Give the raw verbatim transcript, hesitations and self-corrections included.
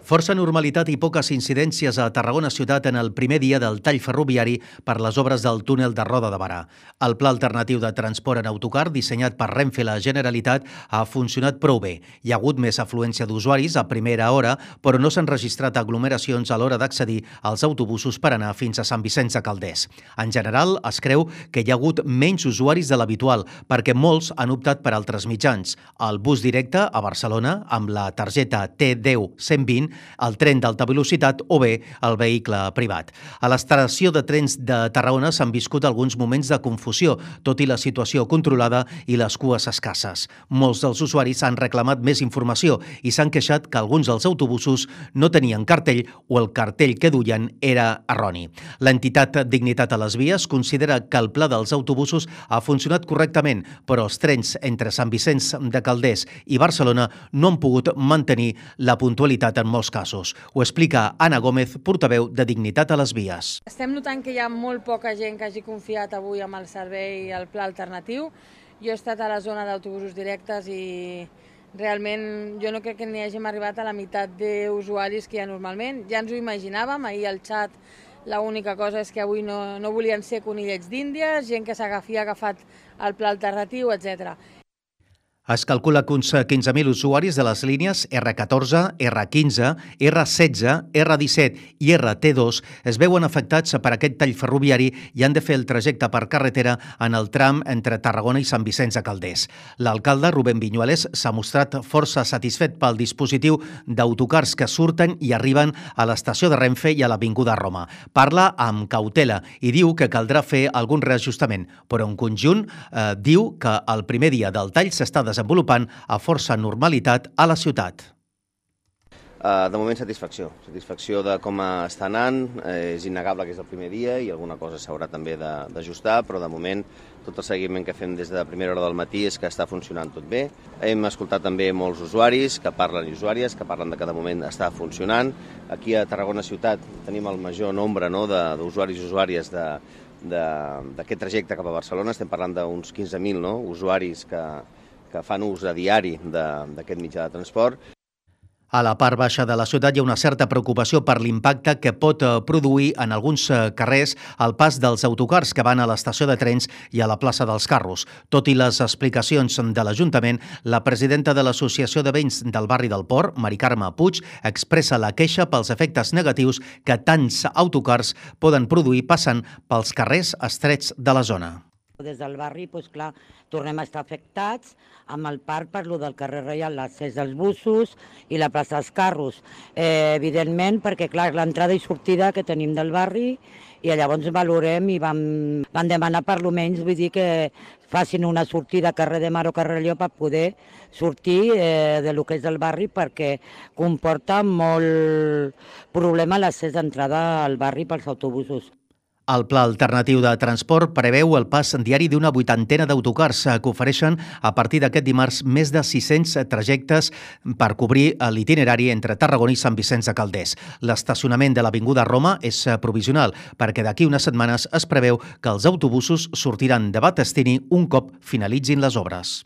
Força normalitat i poques incidències a Tarragona ciutat en el primer dia del tall ferroviari per les obres del túnel de Roda de Barà. El pla alternatiu de transport en autocar, dissenyat per Renfe i la Generalitat, ha funcionat prou bé. Hi ha hagut més afluència d'usuaris a primera hora, però no s'han registrat aglomeracions a l'hora d'accedir als autobusos per anar fins a Sant Vicenç de Calders. En general, es creu que hi ha hagut menys usuaris de l'habitual, perquè molts han optat per altres mitjans. El bus directe a Barcelona, amb la targeta T deu cent vint, el tren d'alta velocitat o bé el vehicle privat. A l'estació de trens de Tarragona s'han viscut alguns moments de confusió, tot i la situació controlada i les cues escasses. Molts dels usuaris han reclamat més informació i s'han queixat que alguns dels autobusos no tenien cartell o el cartell que duien era erroni. L'entitat Dignitat a les Vies considera que el pla dels autobusos ha funcionat correctament, però els trens entre Sant Vicenç de Calders i Barcelona no han pogut mantenir la puntualitat en molts casos. Ho explica Anna Gómez, portaveu de Dignitat a les Vies. Estem notant que hi ha molt poca gent que hagi confiat avui amb el servei i el pla alternatiu. Jo he estat a la zona d'autobusos directes i realment jo no crec que n'hi hàgim arribat a la meitat d'usuaris que hi ha normalment. Ja ens ho imaginàvem, ahir al xat l'única cosa és que avui no, no volien ser conillets d'Índies, gent que s'agafia agafat el pla alternatiu, etcètera. Es calcula que uns quinze mil usuaris de les línies erre catorze, erre quinze, erre setze, erre disset i erre te dos es veuen afectats per aquest tall ferroviari i han de fer el trajecte per carretera en el tram entre Tarragona i Sant Vicenç de Calders. L'alcalde, Rubén Viñuales, s'ha mostrat força satisfet pel dispositiu d'autocars que surten i arriben a l'estació de Renfe i a l'Avinguda Roma. Parla amb cautela i diu que caldrà fer algun reajustament, però en conjunt eh, diu que el primer dia del tall s'està desenvolupant desenvolupant a força normalitat a la ciutat. De moment, satisfacció. Satisfacció de com està anant. És innegable que és el primer dia i alguna cosa s'haurà també d'ajustar, però de moment tot el seguiment que fem des de primera hora del matí és que està funcionant tot bé. Hem escoltat també molts usuaris que parlen i usuàries que parlen de que de moment està funcionant. Aquí a Tarragona ciutat tenim el major nombre no, d'usuaris i usuàries de d'aquest trajecte cap a Barcelona. Estem parlant d'uns quinze mil no, usuaris que que fan ús a diari d'aquest mitjà de transport. A la part baixa de la ciutat hi ha una certa preocupació per l'impacte que pot produir en alguns carrers el pas dels autocars que van a l'estació de trens i a la plaça dels Carros. Tot i les explicacions de l'Ajuntament, la presidenta de l'Associació de Veïns del barri del Port, Mari Carme Puig, expressa la queixa pels efectes negatius que tants autocars poden produir passant pels carrers estrets de la zona. Des del barri, doncs clar, tornem a estar afectats amb el parc per lo del carrer Reial, l'accés dels busos i la plaça dels Carros. Eh, evidentment, perquè clar, l'entrada i sortida que tenim del barri i llavors valorem i vam, vam demanar per lo menys, vull dir que facin una sortida a carrer de Mar o carrer Lleó per poder sortir eh, de lo que és el barri perquè comporta molt problema l'accés d'entrada al barri pels autobusos. El pla alternatiu de transport preveu el pas diari d'una vuitantena d'autocars que ofereixen a partir d'aquest dimarts més de sis-cents trajectes per cobrir l'itinerari entre Tarragona i Sant Vicenç de Calders. L'estacionament de l'Avinguda Roma és provisional perquè d'aquí unes setmanes es preveu que els autobusos sortiran de Battestini un cop finalitzin les obres.